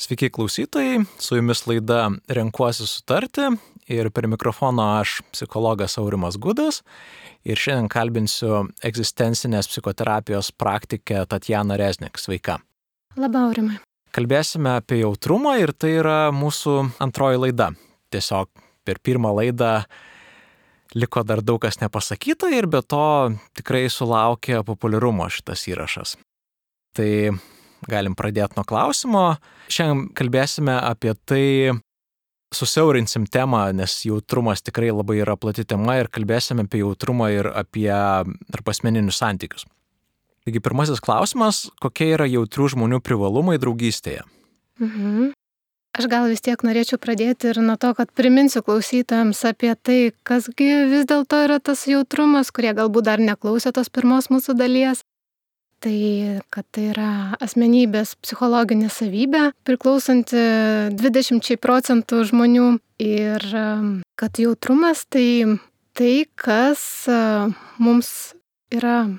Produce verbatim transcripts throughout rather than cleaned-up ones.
Sveiki klausytojai, su jumis laida Renkuosi sutarti ir per mikrofoną aš, psichologas Aurimas Gudas, ir šiandien kalbinsiu egzistencinės psichoterapijos praktikę Tatjaną Reznik. Sveika. Labą, Aurimai. Kalbėsime apie jautrumą ir tai yra mūsų antroji laida. Tiesiog per pirmą laidą liko dar daug kas nepasakyta ir be to tikrai sulaukė populiarumo šitas įrašas. Tai galim pradėti nuo klausimo. Šiandien kalbėsime apie tai, susiaurinsim temą, nes jautrumas tikrai labai yra plati tema ir kalbėsime apie jautrumą ir apie tarpasmeninius santykius. Taigi pirmasis klausimas, kokie yra jautrių žmonių privalumai draugystėje? Mhm. Aš gal vis tiek norėčiau pradėti ir nuo to, kad priminsiu klausytojams apie tai, kasgi vis dėlto yra tas jautrumas, kurie galbūt dar neklausė tos pirmos mūsų dalies. Tai, kad tai yra asmenybės psichologinė savybė, priklausanti dvidešimt procentų žmonių, ir kad jautrumas tai tai, kas mums yra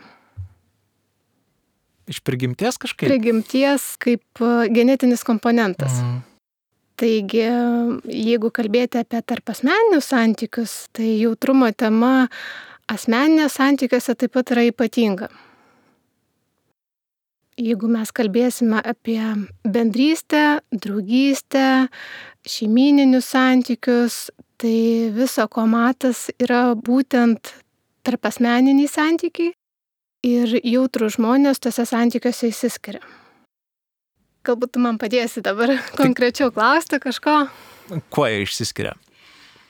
iš prigimties kažkaip? Prigimties kaip genetinis komponentas. Mhm. Taigi, jeigu kalbėti apie tarpasmeninius santykius, tai jautrumo tema asmeninės santykiuose taip pat yra ypatinga. Jeigu mes kalbėsime apie bendrystę, draugystę, šeimyninius santykius, tai viso ko matas yra būtent tarpasmeniniai santykiai ir jautrūs žmonės tose santykiuose išsiskiria. Galbūt tu man padėsi dabar konkrečiau klausti kažko. Kuo jie išsiskiria?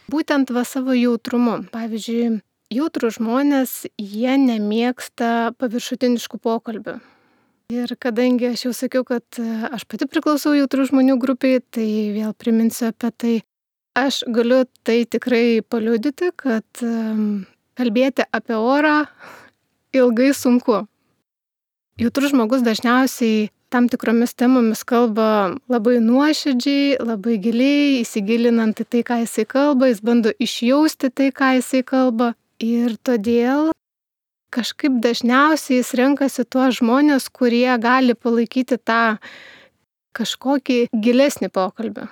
Būtent va savo jautrumu. Pavyzdžiui, jautrūs žmonės, jie nemėgsta paviršutiniškų pokalbių. Ir kadangi aš jau sakiau, kad aš pati priklausau jautrių žmonių grupiai, tai vėl priminsiu apie tai. Aš galiu tai tikrai paliudyti, kad kalbėti apie orą ilgai sunku. Jautrus žmogus dažniausiai tam tikromis temomis kalba labai nuoširdžiai, labai giliai, įsigilinant į tai, ką jisai kalba, jis bando išjausti tai, ką jisai kalba. Ir todėl kažkaip dažniausiai jis renkasi tuos žmonės, kurie gali palaikyti tą kažkokį gilesnį pokalbį.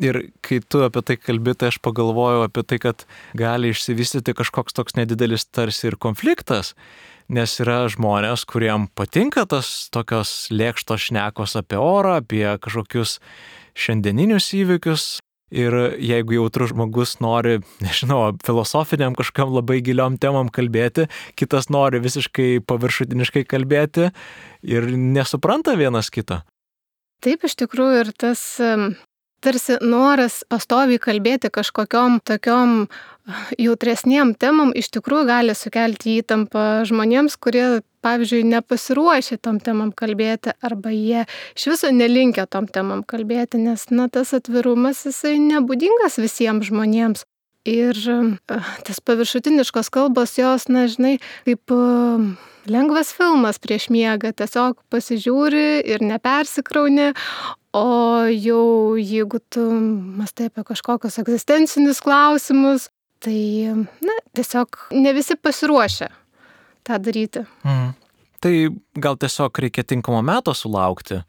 Ir kai tu apie tai kalbi, tai aš pagalvojau apie tai, kad gali išsivystyti kažkoks toks nedidelis tarsi ir konfliktas, nes yra žmonės, kuriem patinka tas tokios lėkštos šnekos apie orą, apie kažkokius šiandieninius įvykius. Ir jeigu jautrus žmogus nori, nežinau, filosofiniam kažkam labai giliom temam kalbėti, kitas nori visiškai paviršutiniškai kalbėti ir nesupranta vienas kito. Taip, iš tikrųjų, ir tas tarsi noras pastoviai kalbėti kažkokiom tokiom jautresniem temam iš tikrųjų gali sukelti įtampą žmonėms, kurie, pavyzdžiui, nepasiruošę tom temam kalbėti arba jie iš viso nelinkę tom temam kalbėti, nes na, tas atvirumas jisai nebūdingas visiems žmonėms. Ir tas paviršutiniškos kalbos jos, na, žinai, kaip lengvas filmas prieš miegą, tiesiog pasižiūri ir nepersikrauni, o jau jeigu tu mąstai apie kažkokius egzistencinius klausimus, tai, na, tiesiog ne visi pasiruošę tą daryti. Mhm. Tai gal tiesiog reikia tinkamo meto sulaukti?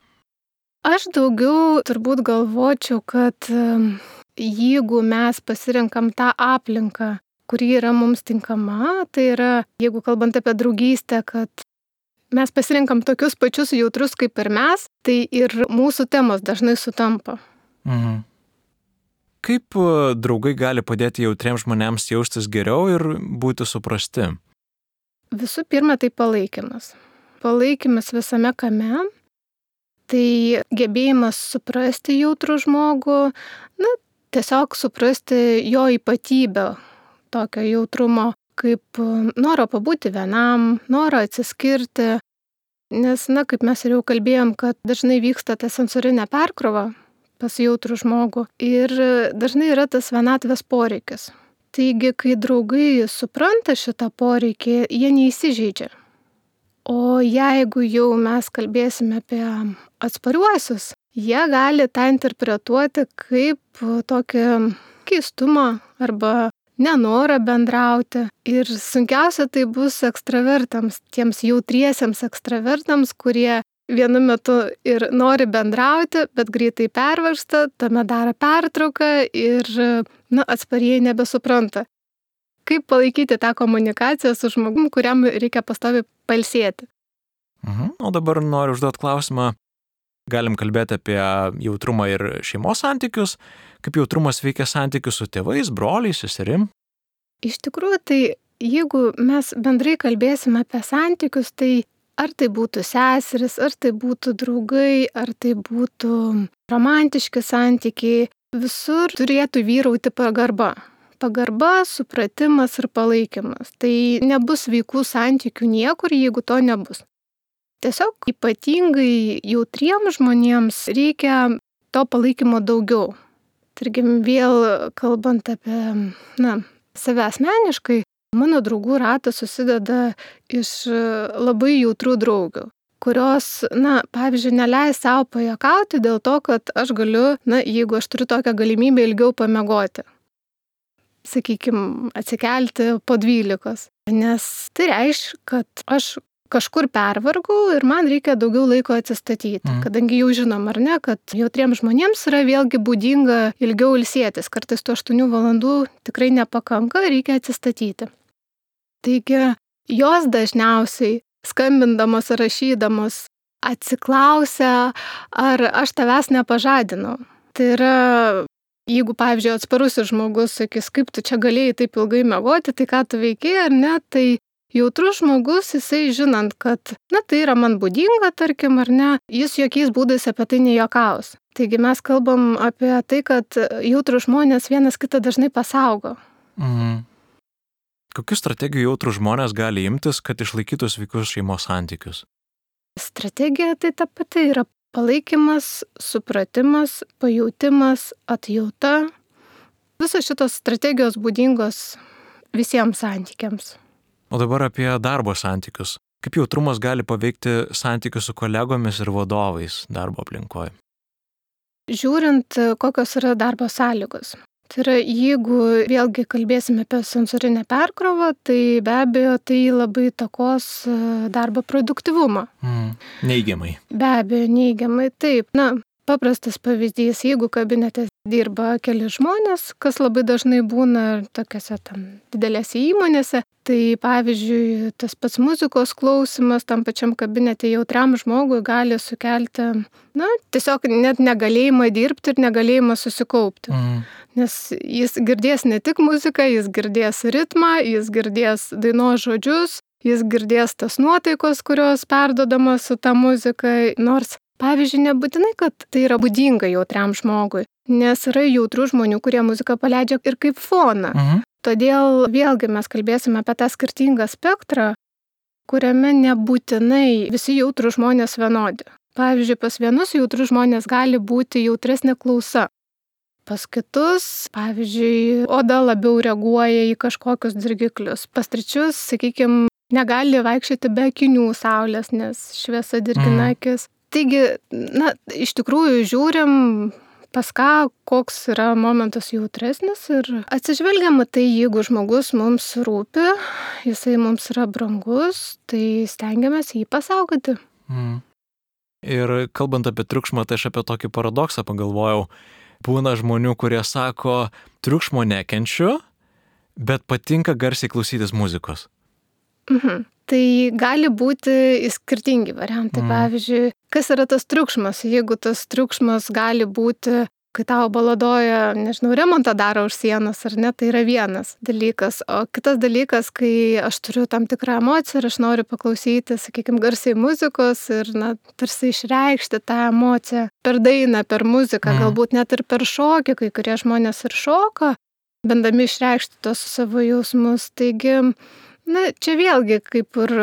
Aš daugiau turbūt galvočiau, kad jeigu mes pasirenkam tą aplinką, kuri yra mums tinkama, tai yra, jeigu kalbant apie draugystę, kad mes pasirenkam tokius pačius jautrus kaip ir mes, tai ir mūsų temos dažnai sutampa. Mhm. Kaip draugai gali padėti jautriems žmonėms jaustis geriau ir būti suprasti? Visų pirma, tai palaikymas. Palaikymas visame kame, tai gebėjimas suprasti jautrų žmogų, na, tiesiog suprasti jo ypatybę tokio jautrumo, kaip noro pabūti vienam, noro atsiskirti, nes, na, kaip mes ir jau kalbėjom, kad dažnai vyksta ta sensorinė perkrova pas jautrų žmogų ir dažnai yra tas vienatvės poreikis. Taigi, kai draugai supranta šitą poreikį, jie neįsižeidžia. O jeigu jau mes kalbėsime apie atspariuosius, jie gali tą interpretuoti kaip tokį keistumą arba nenorą bendrauti. Ir sunkiausia tai bus ekstravertams, tiems jautriesiems ekstravertams, kurie vienu metu ir nori bendrauti, bet greitai pervargsta, tuomet daro pertrauką ir na, atsparieji nebesupranta. Kaip palaikyti tą komunikaciją su žmogum, kuriam reikia pastoviai pailsėti. Mhm. O dabar noriu užduoti klausimą. Galim kalbėti apie jautrumą ir šeimos santykius, kaip jautrumas veikia santykius su tėvais, broliais, seserim. Iš tikrųjų, tai jeigu mes bendrai kalbėsime apie santykius, tai ar tai būtų seseris, ar tai būtų draugai, ar tai būtų romantiški santykiai, visur turėtų vyrauti pagarba. Pagarba, supratimas ir palaikymas. Tai nebus sveikų santykių niekur, jeigu to nebus. Tiesiog ypatingai jautriems žmonėms reikia to palaikymo daugiau. Tarkim, vėl kalbant apie na, save asmeniškai, mano draugų ratas susideda iš labai jautrių draugių, kurios, na, pavyzdžiui, neleis savo pajuokauti dėl to, kad aš galiu, na, jeigu aš turiu tokią galimybę ilgiau pamiegoti. Sakykime, atsikelti po dvylikos. Nes tai reiškia, kad aš kažkur pervargau ir man reikia daugiau laiko atsistatyti. Mm. Kadangi jau žinom, ar ne, kad jautriems žmonėms yra vėlgi būdinga ilgiau ilsėtis. Kartais tų aštuonių valandų tikrai nepakanka, reikia atsistatyti. Taigi, jos dažniausiai skambindamos ar rašydamos atsiklausia, ar aš tavęs nepažadinau. Tai yra, jeigu, pavyzdžiui, atsparusis žmogus sakys, kaip tu čia galėjai taip ilgai miegoti, tai ką tu veikėjai ar ne, tai jautrus žmogus, jisai žinant, kad, na, tai yra man būdinga, tarkim, ar ne, jis jokiais būdais apie tai nejuokaus. Taigi mes kalbam apie tai, kad jautrus žmonės vienas kitą dažnai pasaugo. Mhm. Kokių strategijų jautrus žmonės gali imtis, kad išlaikytų sveikus šeimos santykius? Strategija tai ta pati yra palaikymas, supratimas, pajautimas, atjauta. Visos šitos strategijos būdingos visiems santykiams. O dabar apie darbo santykius. Kaip jautrumas gali paveikti santykius su kolegomis ir vadovais darbo aplinkoje? Žiūrint, kokios yra darbo sąlygos. Tai yra, jeigu vėlgi kalbėsime apie sensorinę perkrovą, tai be abejo tai labai įtakos darbo produktyvumą. Mm, neigiamai. Be abejo, neigiamai, taip. Na, paprastas pavyzdys, jeigu kabinete dirba keli žmonės, kas labai dažnai būna tokiose tam didelėse įmonėse, tai pavyzdžiui, tas pats muzikos klausimas tam pačiam kabinete jautriam žmogui gali sukelti, na, tiesiog net negalėjimą dirbti ir negalėjimą susikaupti. Mm. Nes jis girdės ne tik muziką, jis girdės ritmą, jis girdės dainos žodžius, jis girdės tas nuotaikos, kurios perduodamos su ta muzika, nors pavyzdžiui, nebūtinai, kad tai yra būdinga jautriam žmogui, nes yra jautrių žmonių, kurie muziką paleidžia ir kaip foną. Mhm. Todėl vėlgi mes kalbėsime apie tą skirtingą spektrą, kuriame nebūtinai visi jautrų žmonės vienodi. Pavyzdžiui, pas vienus jautrų žmonės gali būti jautresnė klausa. Pas kitus, pavyzdžiui, oda labiau reaguoja į kažkokius dirgiklius. Pas trečius, sakykime, negali vaikščioti be akinių saulės, nes šviesa dirgina akis. Taigi, na, iš tikrųjų žiūrim, pas ką, koks yra momentas jautresnis ir atsižvelgiama tai, jeigu žmogus mums rūpi, jisai mums yra brangus, tai stengiamės jį pasaugoti. Mm. Ir kalbant apie triukšmą, tai aš apie tokį paradoksą pagalvojau. Būna žmonių, kurie sako, triukšmo nekenčiu, bet patinka garsiai klausytis muzikos. Mhm. Tai gali būti skirtingi variantai. Mm. Pavyzdžiui, kas yra tas triukšmas? Jeigu tas triukšmas gali būti, kai tavo baladoja, nežinau, remontą daro už sienos, ar ne, tai yra vienas dalykas. O kitas dalykas, kai aš turiu tam tikrą emociją ir aš noriu paklausyti, sakykime, garsiai muzikos ir, na, tarsi išreikšti tą emociją per dainą, per muziką, mm. galbūt net ir per šokį, kai kurie žmonės ir šoka, bandami išreikšti tos savo jausmus. Taigi, na, čia vėlgi, kaip ir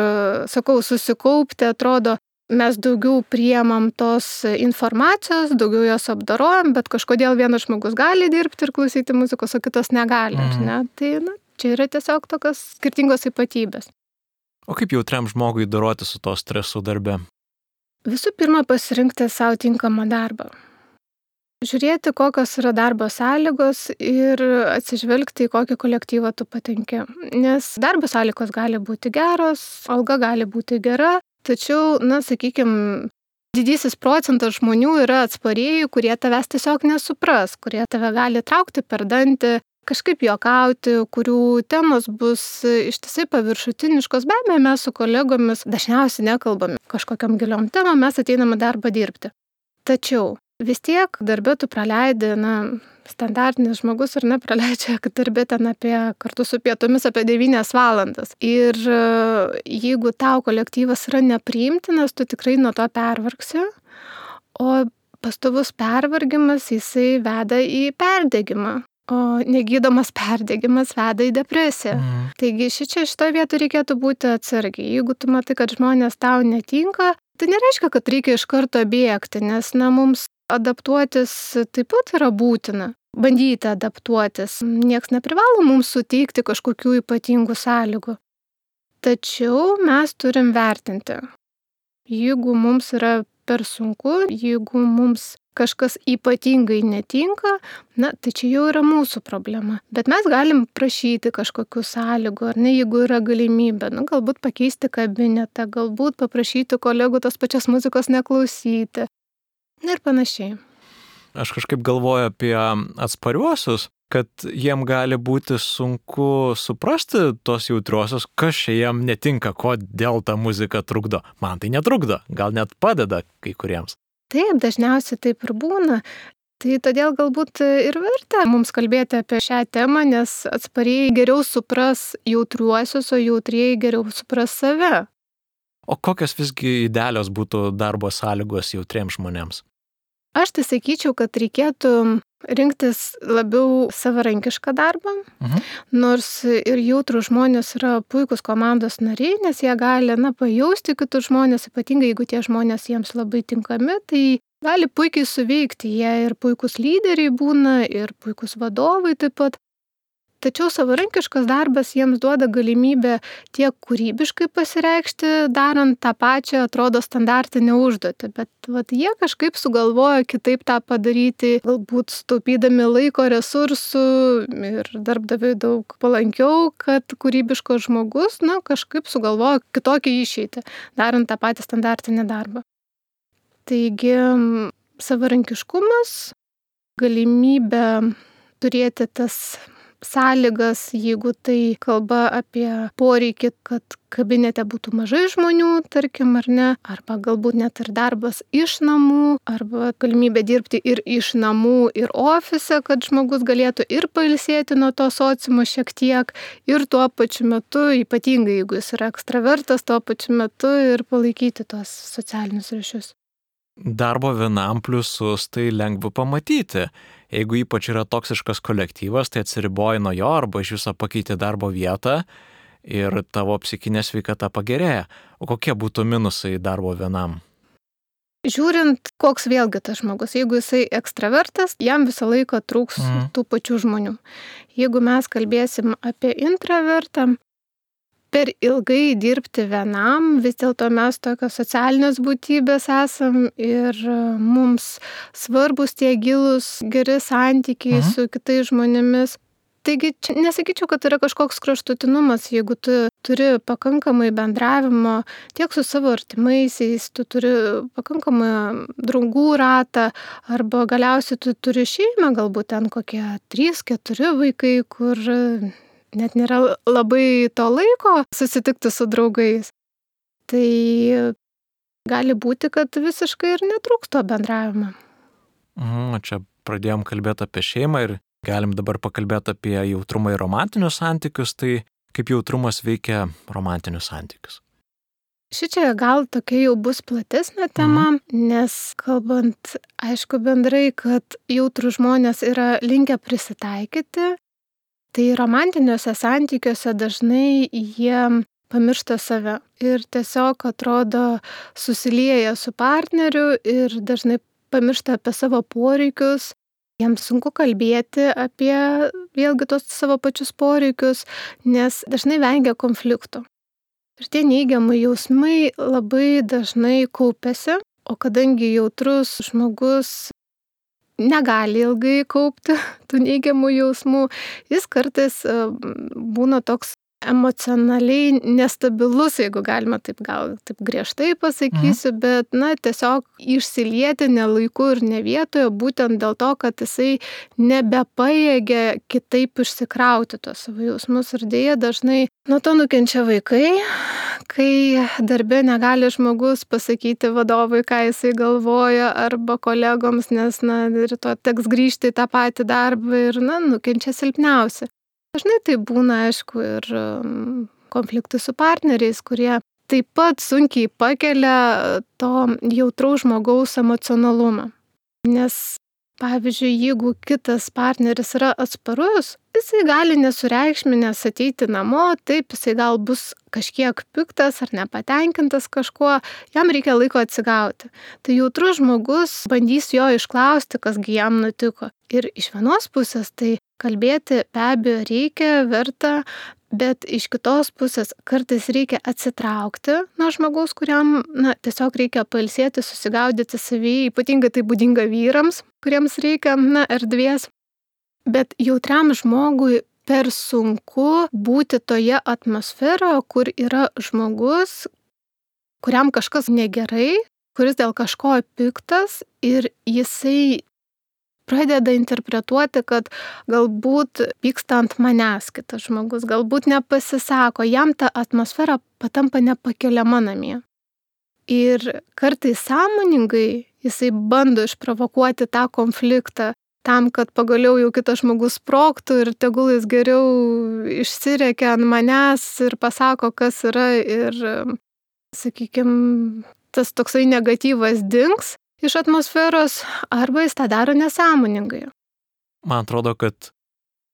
sakau, susikaupti, atrodo, mes daugiau priemam tos informacijos, daugiau jos apdarojam, bet kažkodėl vienas žmogus gali dirbti ir klausyti muzikos, o kitas negali. Mm. Ne? Tai, na, čia yra tiesiog tokios skirtingos ypatybės. O kaip jautriam žmogui doroti su to stresu darbe? Visų pirma, pasirinkti savo tinkamą darbą. Žiūrėti, kokios yra darbo sąlygos ir atsižvelgti, į kokį kolektyvą tu patenki. Nes darbo sąlygos gali būti geros, alga gali būti gera, tačiau, na, sakykime, didysis procentas žmonių yra atsparieji, kurie tavęs tiesiog nesupras, kurie tave gali traukti per dantį, kažkaip juokauti, kurių temos bus ištisai paviršutiniškos. Be abejo, mes su kolegomis dažniausiai nekalbame kažkokiam giliom temom, mes ateiname darbą dirbti. Tačiau vis tiek darbė tu praleidi, na, standartinis žmogus ar ne praleidžia darbė ten apie, kartu su pietomis apie devynias valandas. Ir jeigu tau kolektyvas yra nepriimtinas, tu tikrai nuo to pervargsi, o pastovus pervargimas jisai veda į perdegimą. O negydomas perdegimas veda į depresiją. Mm. Taigi šičia šitoje vietoje reikėtų būti atsargiai. Jeigu tu matai, kad žmonės tau netinka, tai nereiškia, kad reikia iš karto bėgti, nes na, mums adaptuotis taip pat yra būtina. Bandyti adaptuotis. Niekas neprivalo mums suteikti kažkokių ypatingų sąlygų. Tačiau mes turim vertinti. Jeigu mums yra per sunku, jeigu mums kažkas ypatingai netinka, na, tai čia jau yra mūsų problema. Bet mes galim prašyti kažkokių sąlygų, ar ne, jeigu yra galimybė, nu, galbūt pakeisti kabinetą, galbūt paprašyti kolegų tos pačios muzikos neklausyti ir panašiai. Aš kažkaip galvoju apie atspariuosius, kad jiem gali būti sunku suprasti tos jautriuosius, kas čia jiem netinka, kodėl ta muzika trukdo. Man tai netrukdo, gal net padeda kai kuriems. Taip, dažniausiai taip ir būna. Tai todėl galbūt ir verta mums kalbėti apie šią temą, nes atspariai geriau supras jautriuosius, o jautrieji geriau supras save. O kokios visgi idealios būtų darbo sąlygos jautriems žmonėms? Aš tai sakyčiau, kad reikėtų rinktis labiau savarankišką darbą, mhm. nors ir jautrų žmonės yra puikus komandos nariai, nes jie gali, na, pajausti kitus žmonės, ypatingai jeigu tie žmonės jiems labai tinkami, tai gali puikiai suveikti, jie ir puikus lyderiai būna, ir puikus vadovai taip pat. Tačiau savarankiškas darbas jiems duoda galimybę tiek kūrybiškai pasireikšti, darant tą pačią, atrodo, standartinę užduotį, bet vat, jie kažkaip sugalvoja kitaip tą padaryti, galbūt sutaupydami laiko, resursų ir darbdaviui daug palankiau, kad kūrybiškas žmogus, na, kažkaip sugalvoja kitokį išeitį, darant tą patį standartinį darbą. Taigi, savarankiškumas, galimybė turėti tas sąlygas, jeigu tai kalba apie poreikį, kad kabinete būtų mažai žmonių, tarkim, ar ne, arba galbūt net ir darbas iš namų, arba galimybė dirbti ir iš namų, ir ofise, kad žmogus galėtų ir pailsėti nuo to sociumo šiek tiek, ir tuo pačiu metu, ypatingai jeigu jis yra ekstravertas, tuo pačiu metu ir palaikyti tuos socialinius ryšius. Darbo vienam pliusus tai lengva pamatyti. Jeigu ypač yra toksiškas kolektyvas, tai atsiriboji nuo jo arba iš viso pakeiti darbo vietą ir tavo psichinė sveikata pagerėja. O kokie būtų minusai darbo vienam? Žiūrint, koks vėlgi tas žmogus. Jeigu jisai ekstravertas, jam visą laiką trūks mm. tų pačių žmonių. Jeigu mes kalbėsim apie intravertą, per ilgai dirbti vienam, vis dėlto mes tokios socialinės būtybės esam ir mums svarbus tie gilūs geri santykiai mhm. su kitais žmonėmis. Taigi, čia nesakyčiau, kad yra kažkoks kraštutinumas, jeigu tu turi pakankamai bendravimo tiek su savo artimaisiais, tu turi pakankamai draugų ratą, arba galiausiai tu turi šeimą, galbūt ten kokie trys keturi vaikai, kur net nėra labai to laiko susitikti su draugais. Tai gali būti, kad visiškai ir netrūks to bendravimo. Mm, čia pradėjom kalbėti apie šeimą ir galim dabar pakalbėti apie jautrumą ir romantinius santykius. Tai kaip jautrumas veikia romantinius santykius? Šičia gal tokia jau bus platesnė tema, mm. nes kalbant, aišku, bendrai, kad jautrų žmonės yra linkę prisitaikyti, tai romantiniuose santykiuose dažnai jie pamiršta save ir tiesiog atrodo susilieja su partneriu ir dažnai pamiršta apie savo poreikius. Jiems sunku kalbėti apie vėlgi tos savo pačius poreikius, nes dažnai vengia konfliktų. Ir tie neigiamai jausmai labai dažnai kaupiasi, o kadangi jautrus žmogus negali ilgai kaupti tų neigiamų jausmų, jis kartais būna toks emocionaliai nestabilus, jeigu galima taip gal taip griežtai pasakysiu, mhm. bet, na, tiesiog išsilieti ne laiku ir ne vietoje, būtent dėl to, kad jisai nebepajėgia kitaip išsikrauti tos savo jausmus. Ir dėja dažnai nuo to nukenčia vaikai, kai darbe negali žmogus pasakyti vadovui, ką jisai galvoja, arba kolegoms, nes, na, rytoj teks grįžti į tą patį darbą ir, na, nukenčia silpniausi. Dažnai tai būna, aišku, ir konfliktai su partneriais, kurie taip pat sunkiai pakelia to jautraus žmogaus emocionalumą. Nes, pavyzdžiui, jeigu kitas partneris yra atsparus, jisai gali nesureikšminęs ateiti namo, taip, jisai gal bus kažkiek piktas ar nepatenkintas kažkuo, jam reikia laiko atsigauti. Tai jautrus žmogus bandys jo išklausti, kasgi jam nutiko. Ir iš vienos pusės tai kalbėti be abejo reikia, verta, bet iš kitos pusės kartais reikia atsitraukti nuo žmogaus, kuriam, na, tiesiog reikia pailsėti, susigaudyti savyje, ypatingai tai būdinga vyrams, kuriems reikia, na, erdvės. Bet jautriam žmogui per sunku būti toje atmosferoje, kur yra žmogus, kuriam kažkas negerai, kuris dėl kažko piktas ir jisai pradeda interpretuoti, kad galbūt pyksta ant manęs kitas žmogus, galbūt nepasisako, jam ta atmosfera patampa nepakeliama namie. Ir kartais sąmoningai jisai bando išprovokuoti tą konfliktą tam, kad pagaliau jau kitas žmogus sprogtų ir tegul jis geriau išsirekia ant manęs ir pasako, kas yra ir, sakykime, tas toksai negatyvas dings iš atmosferos, arba jis tą daro nesąmoningai. Man atrodo, kad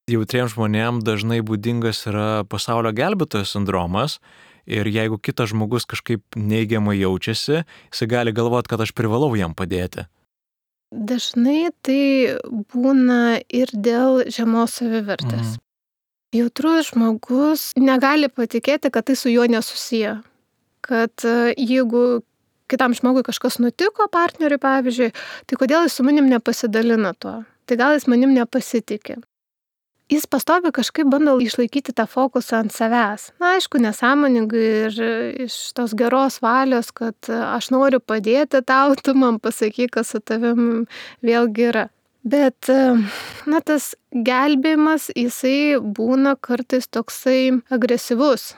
jautriems žmonėms dažnai būdingas yra pasaulio gelbėtojo sindromas ir jeigu kitas žmogus kažkaip neigiamai jaučiasi, jis gali galvoti, kad aš privalau jam padėti. Dažnai tai būna ir dėl žemos savivertės. Mhm. Jautrus žmogus negali patikėti, kad tai su juo nesusiję. Kad jeigu kitam žmogui kažkas nutiko, partneriui pavyzdžiui, tai kodėl jis su manim nepasidalina tuo? Tai gal jis manim nepasitikė? Jis pastovi kažkaip bando išlaikyti tą fokusą ant savęs. Na, aišku, nesąmoningai ir iš tos geros valios, kad aš noriu padėti tau, tu man pasakyk, kas su tavim vėlgi yra. Bet, na, tas gelbėjimas, jisai būna kartais toksai agresyvus.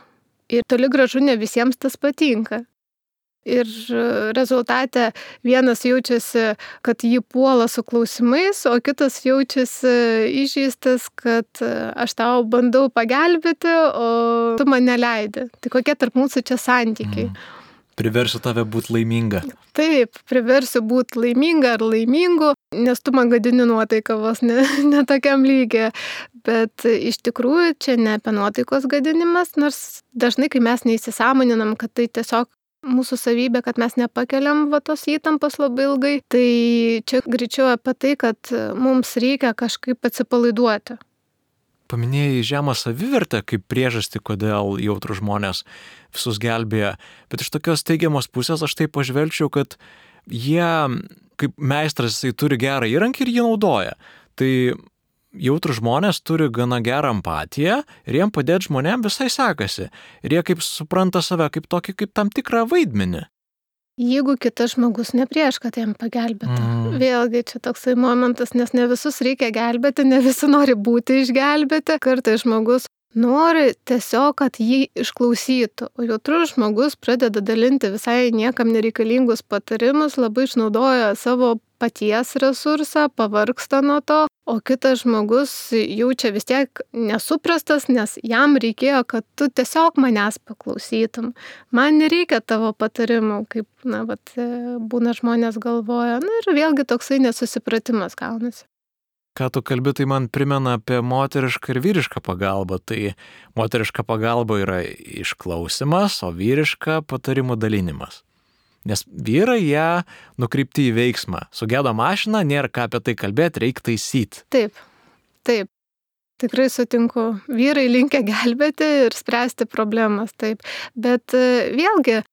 Ir toli gražu ne visiems tas patinka. Ir rezultate vienas jaučiasi, kad jį puola su klausimais, o kitas jaučiasi įžeistas, kad aš tau bandau pagelbėti, o tu man neleidi. Tai kokie tarp mūsų čia santykiai? Mm. Priversiu tave būti laiminga. Taip, priversiu būti laiminga ar laimingu, nes tu man gadini nuotaiką vos ne, ne tokiam lygiai. Bet iš tikrųjų čia ne apie nuotaikos gadinimas, nors dažnai, kai mes neįsisąmoninam, kad tai tiesiog mūsų savybė, kad mes nepakeliam va tos įtampos labai ilgai, tai čia greičiau apie tai, kad mums reikia kažkaip atsipalaiduoti. Paminėjai žemą savivertę kaip priežastį, kodėl jautrus žmonės visus gelbėja, bet iš tokios teigiamos pusės aš taip pažvelgčiau, kad jie kaip meistras, jisai turi gerą įrankį ir jį naudoja. Tai jautrus žmonės turi gana gerą empatiją ir jiem padėti žmonėm visai sekasi. Ir jie kaip supranta save kaip tokį, kaip tam tikrą vaidmenį. Jeigu kitas žmogus ne prieš, kad jam pagelbėtų. Mm. Vėlgi čia toksai momentas, nes ne visus reikia gelbėti, ne visi nori būti išgelbėti. Kartais žmogus nori tiesiog, kad jį išklausytų. O jautrus žmogus pradeda dalinti visai niekam nereikalingus patarimus, labai išnaudoja savo paties resursą, pavargsta nuo to, o kitas žmogus jaučia vis tiek nesuprastas, nes jam reikėjo, kad tu tiesiog manęs paklausytum. Man nereikia tavo patarimų, kaip, na, vat, būna žmonės galvoja. Na ir vėlgi toksai nesusipratimas gaunasi. Ką tu kalbi, tai man primena apie moterišką ir vyrišką pagalbą. Tai moteriška pagalba yra išklausimas, o vyriška patarimų dalinimas. Nes vyrai ją nukreipti į veiksmą. Sugedo mašina, nėra ką apie tai kalbėti, reikia taisyti. Taip, taip. Tikrai sutinku. Vyrai linkę gelbėti ir spręsti problemas, taip. Bet vėlgi,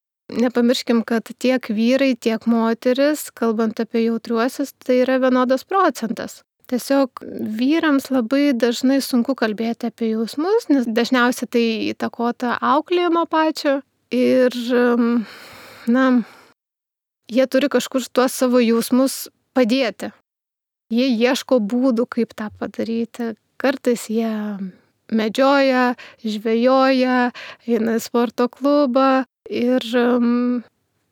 nepamirškim, kad tiek vyrai, tiek moteris, kalbant apie jautriuosius, tai yra vienodas procentas. Tiesiog vyrams labai dažnai sunku kalbėti apie jausmus, nes dažniausiai tai įtakota auklėjimo pačio ir, na, jie turi kažkur tuos savo jausmus padėti. Jie ieško būdų, kaip tą padaryti. Kartais jie medžioja, žvejoja, eina į sporto klubą ir um,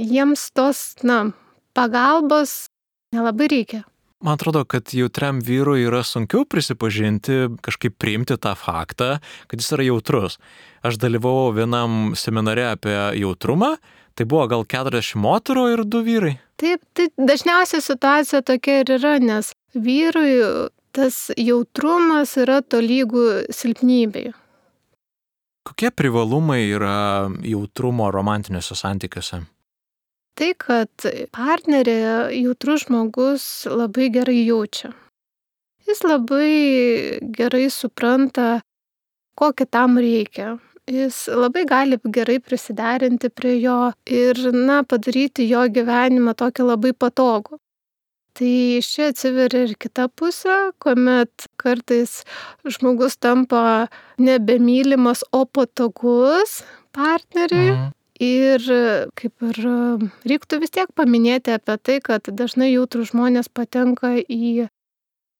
jiems tos, na, pagalbos nelabai reikia. Man atrodo, kad jautriam vyrui yra sunkiau prisipažinti, kažkaip priimti tą faktą, kad jis yra jautrus. Aš dalyvavau vienam seminare apie jautrumą, tai buvo gal keturiasdešimt moterų ir du vyrai. Taip, tai dažniausiai situacija tokia ir yra, nes vyrui tas jautrumas yra tolygų silpnybei. Kokie privalumai yra jautrumo romantiniuose santykiuose? Tai, kad partnerė jautrus žmogus labai gerai jaučia. Jis labai gerai supranta, ko kitam reikia. Jis labai gali gerai prisiderinti prie jo ir, na, padaryti jo gyvenimą tokį labai patogų. Tai čia atsiveria ir kita pusė, kuomet kartais žmogus tampa nebemylimas, o patogus partneriui. Mhm. Ir kaip ir reiktų vis tiek paminėti apie tai, kad dažnai jautrūs žmonės patenka į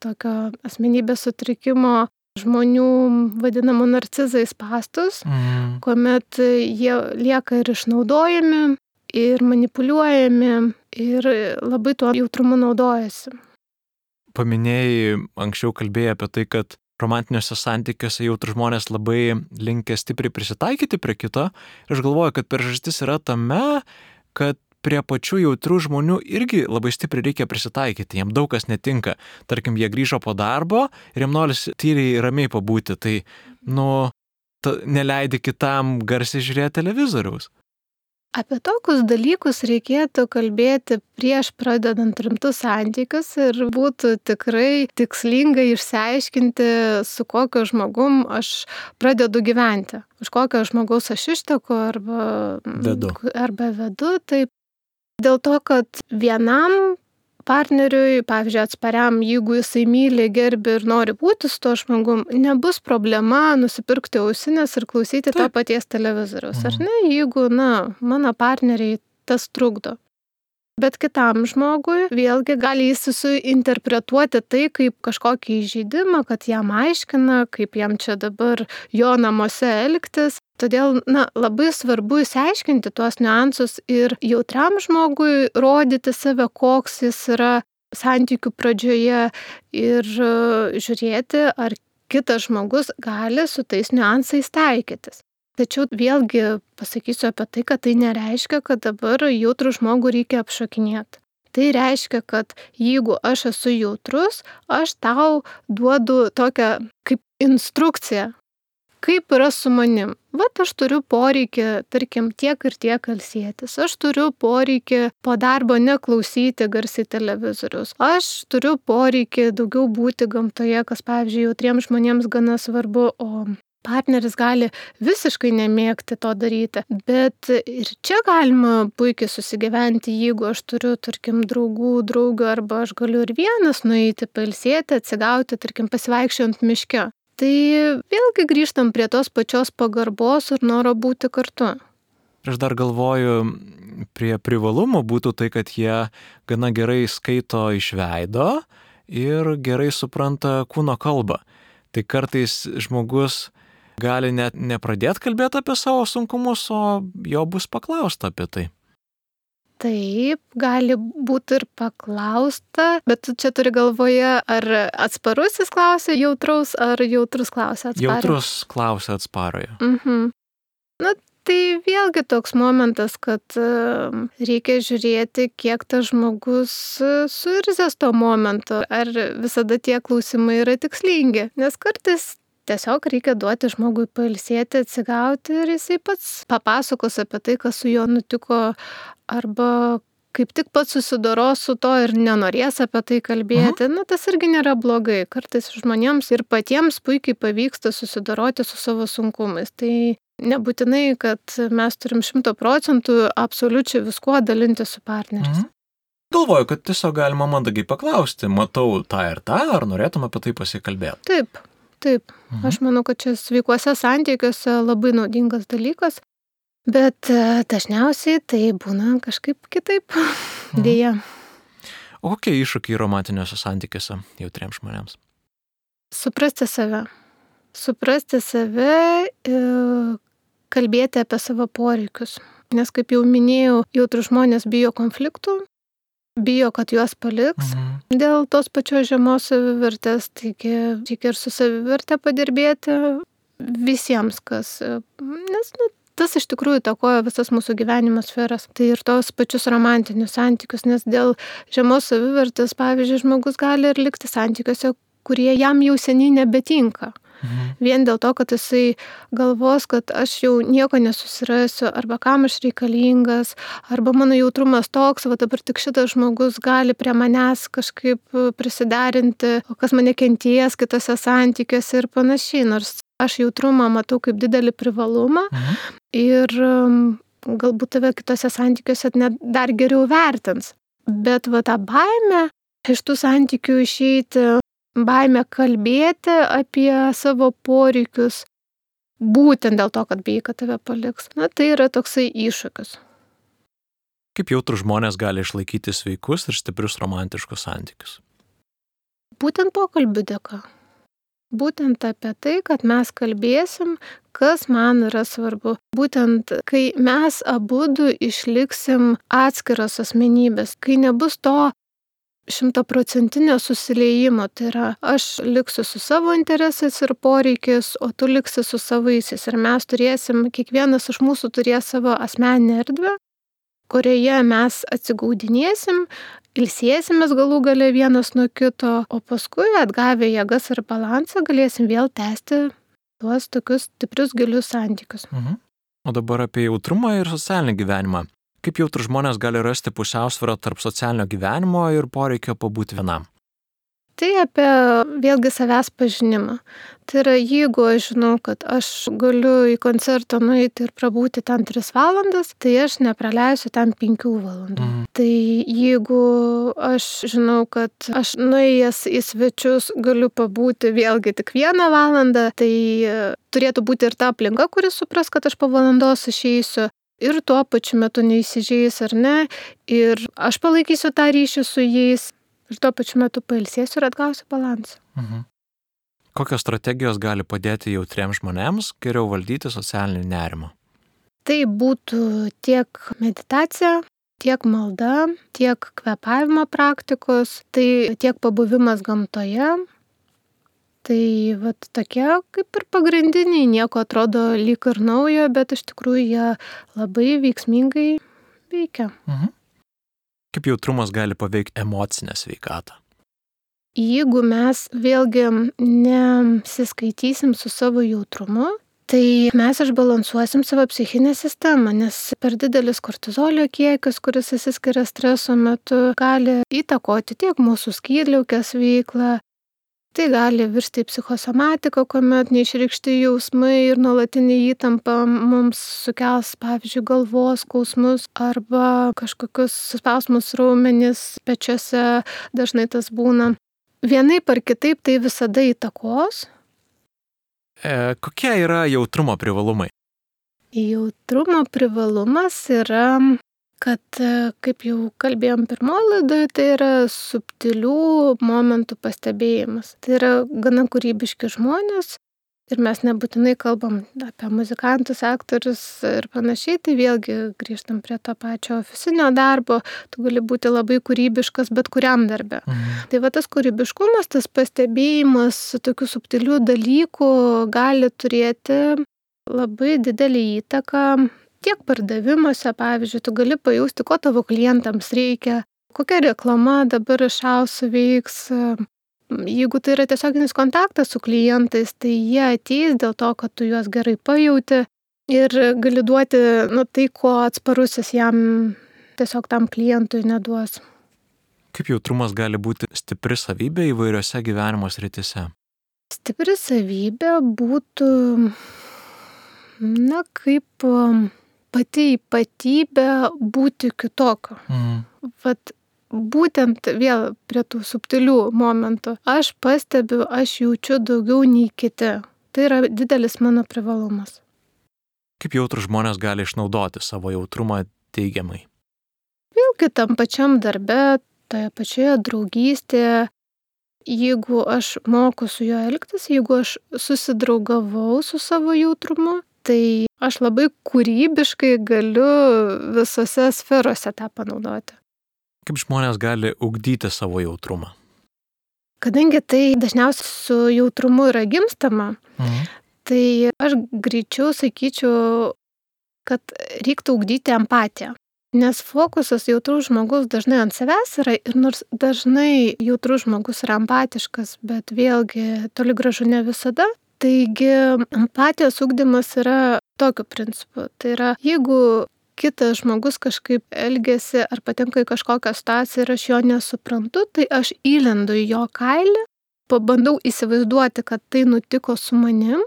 tokio asmenybės sutrikimo žmonių vadinamų narcizais spąstus, mm. kuomet jie lieka ir išnaudojami, ir manipuliuojami, ir labai tuo jautrumu naudojasi. Paminėjai, anksčiau kalbėjai apie tai, kad romantiniuose santykiuose jautrūs žmonės labai linkę stipriai prisitaikyti prie kito. Ir aš galvoju, kad priežastis yra tame, kad prie pačių jautrių žmonių irgi labai stipriai reikia prisitaikyti. Jiem daug kas netinka. Tarkim, jie grįžo po darbo ir jiem norisi tyliai ramiai pabūti. Tai, nu, ta, neleidi kitam garsiai žiūrėti televizoriaus. Apie tokius dalykus reikėtų kalbėti prieš pradedant rimtus santykius ir būtų tikrai tikslingai išsiaiškinti, su kokio žmogum aš pradedu gyventi. Už kokio žmogaus aš išteku arba vedu. Arba vedu. Taip. Dėl to, kad vienam partneriui, pavyzdžiui, atspariam, jeigu jisai myli, gerbi ir nori būti su to žmogum, nebus problema nusipirkti ausinės ir klausyti Taip. To paties televizoriaus. Mhm. Ar ne, jeigu, na, mano partneriai tas trukdo. Bet kitam žmogui vėlgi gali jis suinterpretuoti tai kaip kažkokį įžeidimą, kad jam aiškina, kaip jam čia dabar jo namuose elgtis. Todėl, na, labai svarbu išsiaiškinti tuos niuansus ir jautriam žmogui rodyti save, koks jis yra santykių pradžioje ir žiūrėti, ar kitas žmogus gali su tais niuansais taikytis. Tačiau vėlgi pasakysiu apie tai, kad tai nereiškia, kad dabar jautrų žmogų reikia apšokinėti. Tai reiškia, kad jeigu aš esu jautrus, aš tau duodu tokią kaip instrukciją, kaip yra su manim. Vat aš turiu poreikį, tarkim, tiek ir tiek ilsėtis. Aš turiu poreikį po darbo neklausyti garsiai televizoriaus. Aš turiu poreikį daugiau būti gamtoje, kas, pavyzdžiui, jautriems žmonėms gana svarbu, o partneris gali visiškai nemėgti to daryti. Bet ir čia galima puikiai susigyventi, jeigu aš turiu, tarkim, draugų, draugių, arba aš galiu ir vienas nueiti, pailsėti, atsigauti, tarkim, pasivaikščiojant miške. Tai vėlgi grįžtam prie tos pačios pagarbos ir noro būti kartu. Aš dar galvoju, prie privalumų būtų tai, kad jie gana gerai skaito iš veido ir gerai supranta kūno kalbą. Tai kartais žmogus gali net nepradėti kalbėti apie savo sunkumus, o jo bus paklausta apie tai. Taip, gali būti ir paklausta, bet čia turi galvoje, ar atsparusis klausia jautraus, ar jautrus klausia atsparojo. Jautrus klausia atsparojo. Mhm. Na, tai vėlgi toks momentas, kad reikia žiūrėti, kiek tas žmogus suirzęs tuo momentu, ar visada tie klausimai yra tikslingi, nes kartais tiesiog reikia duoti žmogui pailsėti, atsigauti ir jisai pats papasakos apie tai, kas su juo nutiko, arba kaip tik pats susidoros su to ir nenorės apie tai kalbėti. Mhm. Na, tas irgi nėra blogai. Kartais žmonėms ir patiems puikiai pavyksta susidoroti su savo sunkumais. Tai nebūtinai, kad mes turim šimto procentų absoliučiai viskuo dalinti su partneriais. Mhm. Galvoju, kad tiesiog galima mandagiai paklausti, matau tą ir tą, ar norėtum apie tai pasikalbėti. Taip, taip. Mhm. Aš manau, kad čia sveikuose santykiuose labai naudingas dalykas, bet dažniausiai tai būna kažkaip kitaip, mhm. Dėja. O kokie iššūkiai romantiniuose santykiuose jautriems žmonėms? Suprasti save. Suprasti save, kalbėti apie savo poreikius. Nes, kaip jau minėjau, jautrūs žmonės bijo konfliktų, bijo, kad juos paliks mhm. dėl tos pačios žemos savivertės, taigi reikia ir su savivertė padirbėti visiems, kas, nes nu, tas iš tikrųjų įtakoja visas mūsų gyvenimo sferas. Tai ir tos pačius romantinius santykius, nes dėl žemos savivertės, pavyzdžiui, žmogus gali ir likti santykiuose, kurie jam jau seniai nebetinka. Mhm. Vien dėl to, kad jisai galvos, kad aš jau nieko nesusirasiu, arba kam aš reikalingas, arba mano jautrumas toks, va dabar tik šitas žmogus gali prie manęs kažkaip prisiderinti, o kas mane kenties kitose santykiuose ir panašiai. Nors aš jautrumą matau kaip didelį privalumą mhm. ir galbūt tave kitose santykiuose net dar geriau vertins. Bet va tą baimę iš tų santykių išeiti, baimę kalbėti apie savo poreikius, būtent dėl to, kad bijai, kad tave paliks. Na, tai yra toksai iššūkis. Kaip jautrūs žmonės gali išlaikyti sveikus ir stiprius romantiškus santykius? Būtent pokalbių dėka. Būtent apie tai, kad mes kalbėsim, kas man yra svarbu. Būtent, kai mes abudu išliksim atskiros asmenybės, kai nebus to šimtaprocentinio susiliejimo, tai yra aš liksiu su savo interesais ir poreikis, o tu liksi su savaisiais. Ir mes turėsim, kiekvienas iš mūsų turės savo asmeninę erdvę, kurioje mes atsigaudinėsim, ilsėsimės galų gale vienas nuo kito, o paskui atgavę jėgas ir balansą galėsim vėl tęsti tuos tokius stiprius gilius santykius. Mhm. O dabar apie jautrumą ir socialinį gyvenimą. Kaip jautrūs žmonės gali rasti pusiausvyrą tarp socialinio gyvenimo ir poreikio pabūti vienam? Tai apie vėlgi savęs pažinimą. Tai yra, jeigu aš žinau, kad aš galiu į koncertą nueiti ir prabūti ten tris valandas, tai aš nepraleisiu ten penkių valandų. Mm. Tai jeigu aš žinau, kad aš nuėjęs į svečius galiu pabūti vėlgi tik vieną valandą, tai turėtų būti ir ta aplinka, kuris supras, kad aš po valandos išeisiu. Ir tuo pačiu metu neįsižeis ar ne, ir aš palaikysiu tą ryšį su jais, ir tuo pačiu metu pailsėsiu ir atgausiu balansą. Mhm. Kokios strategijos gali padėti jautriems žmonėms geriau valdyti socialinį nerimą? Tai būtų tiek meditacija, tiek malda, tiek kvėpavimo praktikos, tai tiek pabuvimas gamtoje. Tai vat tokie kaip ir pagrindiniai, nieko atrodo lyg ir naujo, bet iš tikrųjų jie labai veiksmingai veikia. Mhm. Kaip jautrumas gali paveikti emocinę sveikatą? Jeigu mes vėlgi nesiskaitysim su savo jautrumu, tai mes išbalansuosim savo psichinę sistemą, nes per didelis kortizolio kiekis, kuris išsiskiria streso metu, gali įtakoti tiek mūsų skydliaukės veiklą. Tai gali virsti į psichosomatiką, kuomet neišreikšti jausmai ir nuolatinė įtampa mums sukels, pavyzdžiui, galvos skausmus arba kažkokius suspausmus raumenis pečiuose, dažnai tas būna. Vienaip ar kitaip tai visada įtakos. E, kokie yra jautrumo privalumai? Jautrumo privalumas yra, kad, kaip jau kalbėjom pirmoje laidoje, tai yra subtilių momentų pastebėjimas. Tai yra gana kūrybiški žmonės ir mes nebūtinai kalbam apie muzikantus, aktorius ir panašiai, tai vėlgi grįžtam prie to pačio ofisinio darbo, tu gali būti labai kūrybiškas bet kuriam darbe. Mhm. Tai va tas kūrybiškumas, tas pastebėjimas tokių subtilių dalykų gali turėti labai didelį įtaką tiek pardavimuose, pavyzdžiui, tu gali pajausti, ko tavo klientams reikia, kokia reklama dabar išausiu veiks. Jeigu tai yra tiesioginis kontaktas su klientais, tai jie ateis dėl to, kad tu juos gerai pajauti ir gali duoti nu, tai, ko atsparusis jam tiesiog tam klientui neduos. Kaip jautrumas gali būti stipri savybė įvairiose gyvenimo srityse? Stipri savybė būtų, na, kaip pati ypatybė būti kitokiu. Mhm. Vat būtent vėl prie tų subtilių momentų. Aš pastebiu, aš jaučiu daugiau nei kiti. Tai yra didelis mano privalumas. Kaip jautrus žmonės gali išnaudoti savo jautrumą teigiamai? Vėlgi tam pačiam darbe, toje pačioje draugystėje, jeigu aš moku su juo elgtis, jeigu aš susidraugavau su savo jautrumu, tai aš labai kūrybiškai galiu visose sferose tą panaudoti. Kaip žmonės gali ugdyti savo jautrumą? Kadangi tai dažniausiai su jautrumu yra gimstama, Mhm. tai aš greičiau sakyčiau, kad reiktų ugdyti empatiją. Nes fokusas jautrus žmogus dažnai ant savęs yra ir nors dažnai jautrus žmogus yra empatiškas, bet vėlgi toli gražu ne visada. Taigi empatijos ugdymas yra tokiu principu. Tai yra, jeigu kitas žmogus kažkaip elgiasi ar patenka į kažkokią situaciją ir aš jo nesuprantu, tai aš įlendu į jo kailį, pabandau įsivaizduoti, kad tai nutiko su manim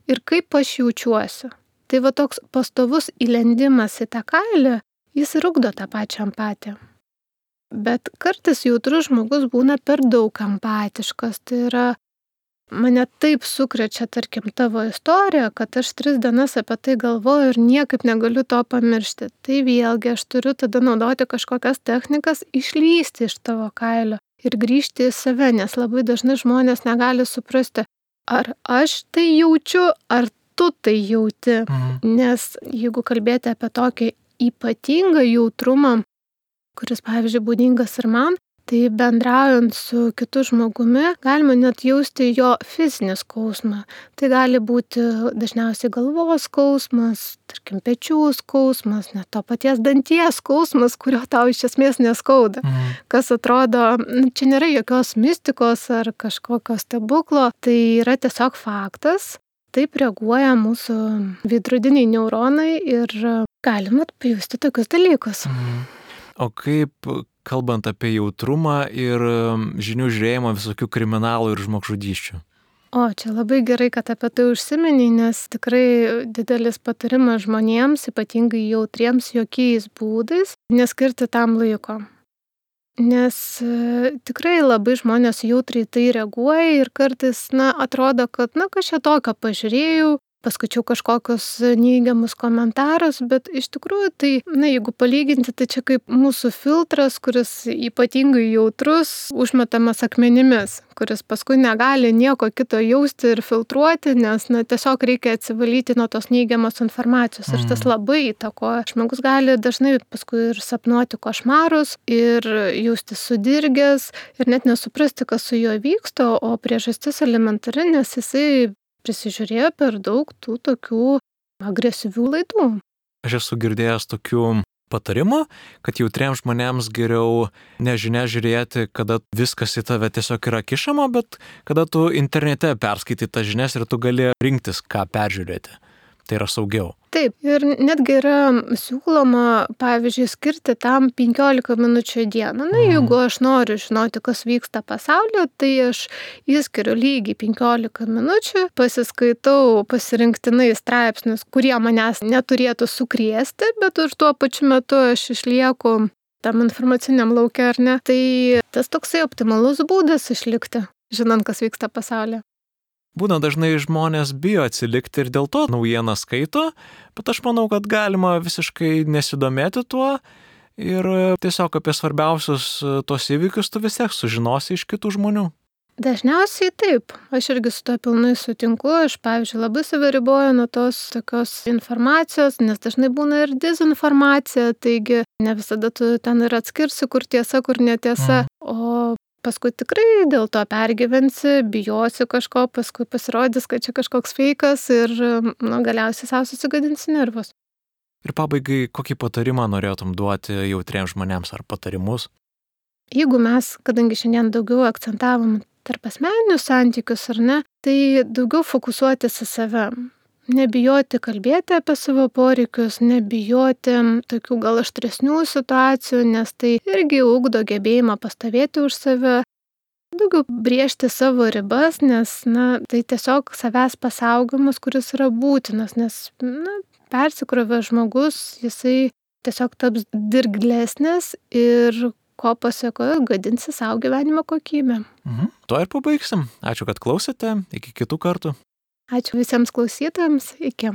ir kaip aš jaučiuosi. Tai va toks pastovus įlendimas į tą kailį, jis ir ugdo tą pačią empatiją. Bet kartais jautrus žmogus būna per daug empatiškas. Tai yra, mane taip sukrečia, tarkim, tavo istorija, kad aš tris dienas apie tai galvoju ir niekaip negaliu to pamiršti. Tai vėlgi aš turiu tada naudoti kažkokias technikas, išlysti iš tavo kailio ir grįžti į save, nes labai dažnai žmonės negali suprasti, ar aš tai jaučiu, ar tu tai jauti. Mhm. Nes jeigu kalbėti apie tokį ypatingą jautrumą, kuris, pavyzdžiui, būdingas ir man, tai bendraujant su kitu žmogumi galima net jausti jo fizinį skausmą. Tai gali būti dažniausiai galvos skausmas, tarkim, pečių skausmas, net to paties danties skausmas, kurio tau iš esmės neskauda. Mhm. Kas atrodo, čia nėra jokios mistikos ar kažkokio stebuklo, tai yra tiesiog faktas. Taip reaguoja mūsų veidrodiniai neuronai ir galima pajusti tokius dalykus. Mhm. O kaip, kalbant apie jautrumą ir žinių žiūrėjimą visokių kriminalų ir žmogžudysčių? O, čia labai gerai, kad apie tai užsiminiai, nes tikrai didelis patarimas žmonėms, ypatingai jautriems, jokiais būdais, neskirti tam laiko. Nes e, tikrai labai žmonės jautriai tai reaguoja ir kartais, na, atrodo, kad, na, kažką tokio pažiūrėjau, paskaičiau kažkokius neigiamus komentarus, bet iš tikrųjų tai, na, jeigu palyginti, tai čia kaip mūsų filtras, kuris ypatingai jautrus, užmetamas akmenimis, kuris paskui negali nieko kito jausti ir filtruoti, nes, na, tiesiog reikia atsivalyti nuo tos neigiamos informacijos. Ir tas labai įtakoja. Žmogus gali dažnai paskui ir sapnuoti košmarus, ir jausti sudirgęs, ir net nesuprasti, kas su juo vyksta, o priežastis elementari, nes jisai prisižiūrėjo per daug tų tokių agresyvių laidų. Aš esu girdėjęs tokių patarimų, kad jautriems žmonėms geriau nežinia žiūrėti, kada viskas į tave tiesiog yra kišama, bet kada tu internete perskaitai tas žinias ir tu gali rinktis, ką peržiūrėti. Tai yra saugiau. Taip, ir netgi yra siūloma, pavyzdžiui, skirti tam penkiolika minučių į dieną. Na, jeigu aš noriu žinoti, kas vyksta pasaulyje, tai aš įskiriu lygiai penkiolika minučių, pasiskaitau pasirinktinai straipsnius, kurie manęs neturėtų sukrėsti, bet už tuo pačiu metu aš išlieku tam informaciniam lauke, ar ne. Tai tas toksai optimalus būdas išlikti, žinant, kas vyksta pasaulyje. Būna dažnai žmonės bijo atsilikti ir dėl to naujieną skaito, bet aš manau, kad galima visiškai nesidomėti tuo ir tiesiog apie svarbiausius tos įvykius tu vis tiek sužinosi iš kitų žmonių. Dažniausiai taip. Aš irgi su to pilnai sutinku. Aš, pavyzdžiui, labai save riboju nuo tos tokios informacijos, nes dažnai būna ir dezinformacija, taigi ne visada tu ten ir atskirsi, kur tiesa, kur netiesa. Mm. O paskui tikrai dėl to pergyvensi, bijosi kažko, paskui pasirodys, kad čia kažkoks feikas ir nu, galiausiai savo susigadinsi nervus. Ir pabaigai, kokį patarimą norėtum duoti jautriems žmonėms ar patarimus? Jeigu mes, kadangi šiandien daugiau akcentavom tarp asmeninius santykius ar ne, tai daugiau fokusuotis į save. Nebijoti kalbėti apie savo poreikius, nebijoti tokių gal aštresnių situacijų, nes tai irgi ugdo gebėjimą pastovėti už save. Daugiau brėžti savo ribas, nes na, tai tiesiog savęs pasaugojimas, kuris yra būtinas, nes na, persikrovęs žmogus, jisai tiesiog taps dirglesnis ir ko pasekoje gadinsi savo gyvenimo kokybę. Mhm. Tuo ir pabaigsim. Ačiū, kad klausėte. Iki kitų kartų. Ačiū visiems klausytojams. Iki.